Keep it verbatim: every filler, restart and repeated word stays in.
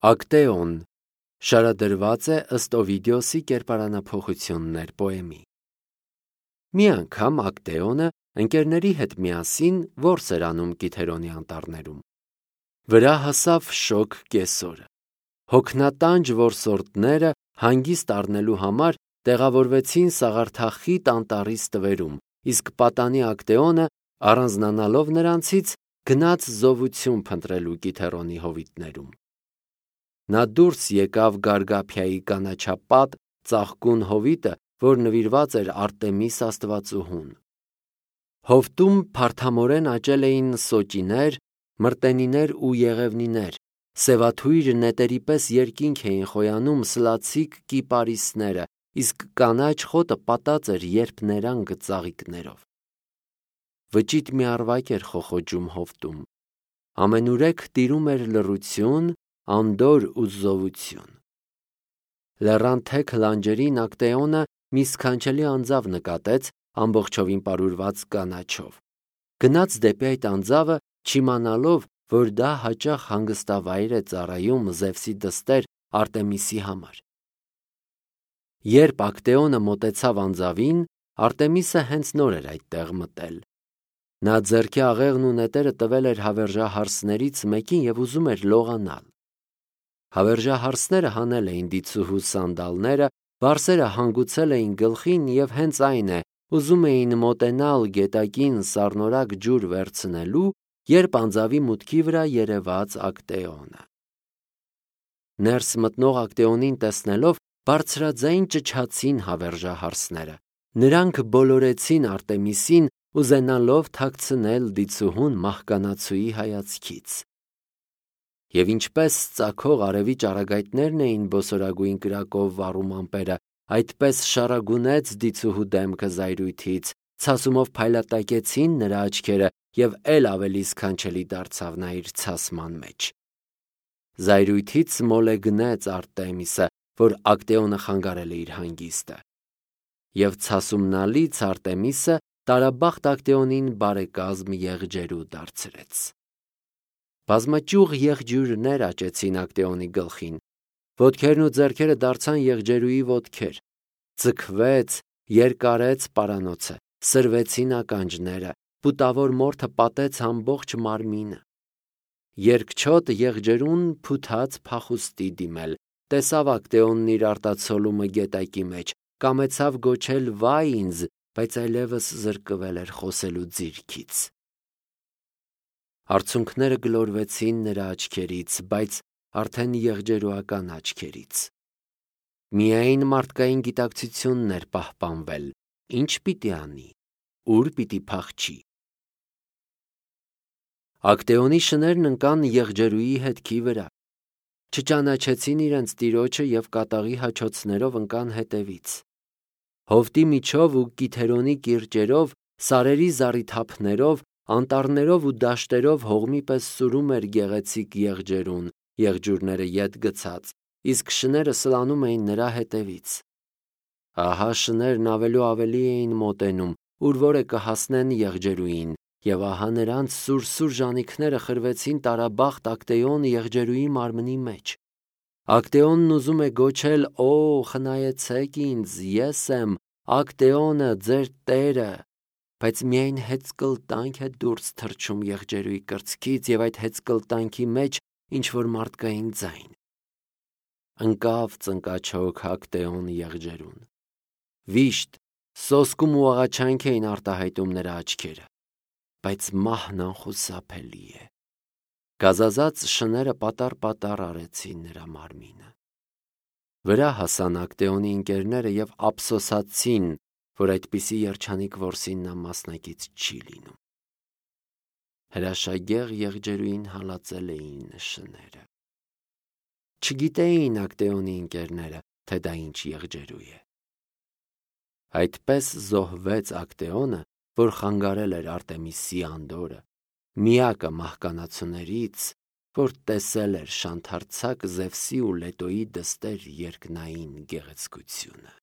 Ակտեոն շարադրված է ըստ Օվիդիոսի կերպարանափոխություններ պոեմի։ Մի անգամ Ակտեոնը ընկերների հետ միասին որս էր անում Կիթերոնի անտառներում։ Վրա հասավ շոգ կեսօրը։ Հոգնատանջ որսորդները հանգիստ առնելու համար տեղավորվեցին սաղարթախիտ անտառի ստվերում, իսկ պատանի Ակտեոնը, առանձնանալով նրանցից, գնաց զովություն փնտրելու Կիթերոնի հովիտներում։ Նա դուրս եկավ Գարգափիայի կանաչապատ ծաղկուն հովիտը, որ նվիրված էր Արտեմիս աստվածուհուն։ Հովտում փարթամորեն աճել էին սոճիներ, մրտենիներ ու եղևնիներ, սևաթույր նետերի պես երկինք էին խոյանում սլացիկ կիպարիսները, իսկ կանաչ խոտը պատած էր երփներանգ ծաղիկներով։ Վճիտ մի առվակ էր խոխոջում հովտում։ Ամենուրեք տիրում էր լռություն, անդորր ու զովություն։ Լեռան թեք լանջերին Ակտեոնը մի սքանչելի անձավ նկատեց, ամբողջովին պարուրված կանաչով։ Գնաց դեպի այդ անձավը, չիմանալով, որ դա հաճախ հանգստավայր է ծառայում Զևսի դստեր Արտեմիսի համար։ Երբ Ակտեոնը մոտեցավ անձավին, Արտեմիսը հենց նոր էր այդտեղ մտել։ Նա ձեռքի աղեղն ու նետերը տվել էր հավերժահարսներից մեկին և ուզում էր լողանալ։ Հավերժահարսները հանել էին դիցուհու սանդալները, վարսերը հանգուցել էին գլխին և հենց այն է, ուզում էին մոտենալ գետակին սառնորակ ջուր վերցնելու, երբ անձավի մուտքի վրա երևաց Ակտեոնը։ Ներս մտնող Ակտեոնին տեսնելով, բարձրաձայն ճչացին հավերժահարսները։ Նրանք բոլորեցին Արտեմիսին, ուզենալով թաքցնել դիցուհուն մահկանացուի հայացքից։ Եվ ինչպես ծագող արևի ճառագայթներն էին բոսորագույն կրակով վառում ամպերը, այդպես շարագունեց դիցուհու դեմքը զայրույթից, ցասումով փայլատակեցին նրա աչքերը և էլ ավելի սքանչելի դարձավ նա իր ցասման մեջ։ Զայրույթից մոլեգնեց Արտեմիսը, որ Ակտեոնը խանգարել է իր հանգիստը։ Եվ ցասումնալից Արտեմիսը տարաբախտ Ակտեոնին բարեկազմ եղջերու դարձրեց։ Բազմաճյուղ եղջյուրներ աճեցին Ակտեոնի գլխին, ոտքերն ու ձեռքերը դարձան եղջերուի ոտքեր, ձգվեց, երկարեց պարանոցը, սրվեցին ականջները, պուտավոր մորթը պատեց ամբողջ մարմինը։ Երկչոտ եղջերուն փութաց փախուստի դիմել, տեսավ Ակտեոնն իր արտացոլումը գետակի մեջ, կամեցավ գոչել վայ ինձ, բայց այլևս զրկվել էր խոսելու ձիրքից։ Արցունքները գլորվեցին նրա աչքերից, բայց արդեն եղջերուական աչքերից։ Միայն մարդկային գիտակցությունն էր պահպանվել, ինչ պիտի անի, ուր պիտի փախչի։ Ակտեոնի շներն ընկան եղջերուի հետքի վրա, չճանաչեցին իրենց տիրոջը և կատաղի հաչոցներով ընկան հետևից։ Հովտի միջով ու Կիթերոնի կիրճերով, սարերի զառիթափներով, անտառներով ու դաշտերով հողմի պես սուրում էր գեղեցիկ եղջերուն, եղջյուրները ետ գցած, իսկ շները սլանում էին նրա հետևից։ Ահա շներն ավելու ավելի էին մոտենում, ուր որը կհասնեն եղջերուին, և ահա նրանց սուր-սուր ժանիքները խրվեցին տարաբախտ Ակտեոն եղջերուի մարմնի մեջ։ Ակտեոնն ուզում է գոչել. «Օ, խնայեցեք ինձ, ես եմ Ակտեոնը, ձեր տերը», բայց միայն հեծկլտանք է դուրս թռչում եղջերուի կրծքից և այդ հեծկլտանքի մեջ ինչ-որ մարդկային ձայն։ Ընկավ ծնկաչոք Ակտեոն եղջերուն։ Վիշտ, սոսկում ու աղաչանք էին արտահայտում նրա աչքերը, բայց մահն անխուսափելի է։ Գազազած շները պատառ-պատառ արեցին նրա մարմինը։ Վրա հասան Ակտեոնի ընկերները և ափսոսացին, որ այդպիսի երջանիկ որսին նա մասնակից չի լինում։ Հրաշագեղ եղջերուին հալածել էին շները։ Չգիտեին Ակտեոնի ընկերները, թե դա ինչ եղջերու է։ Այդպես զոհվեց Ակտեոնը, որ խանգարել էր Արտեմիսի անդորրը, միակը մահկանացուներից, որ տեսել էր շանթարցակ Զևսի ու Լետոյի դստեր երկնային գեղեցկությունը։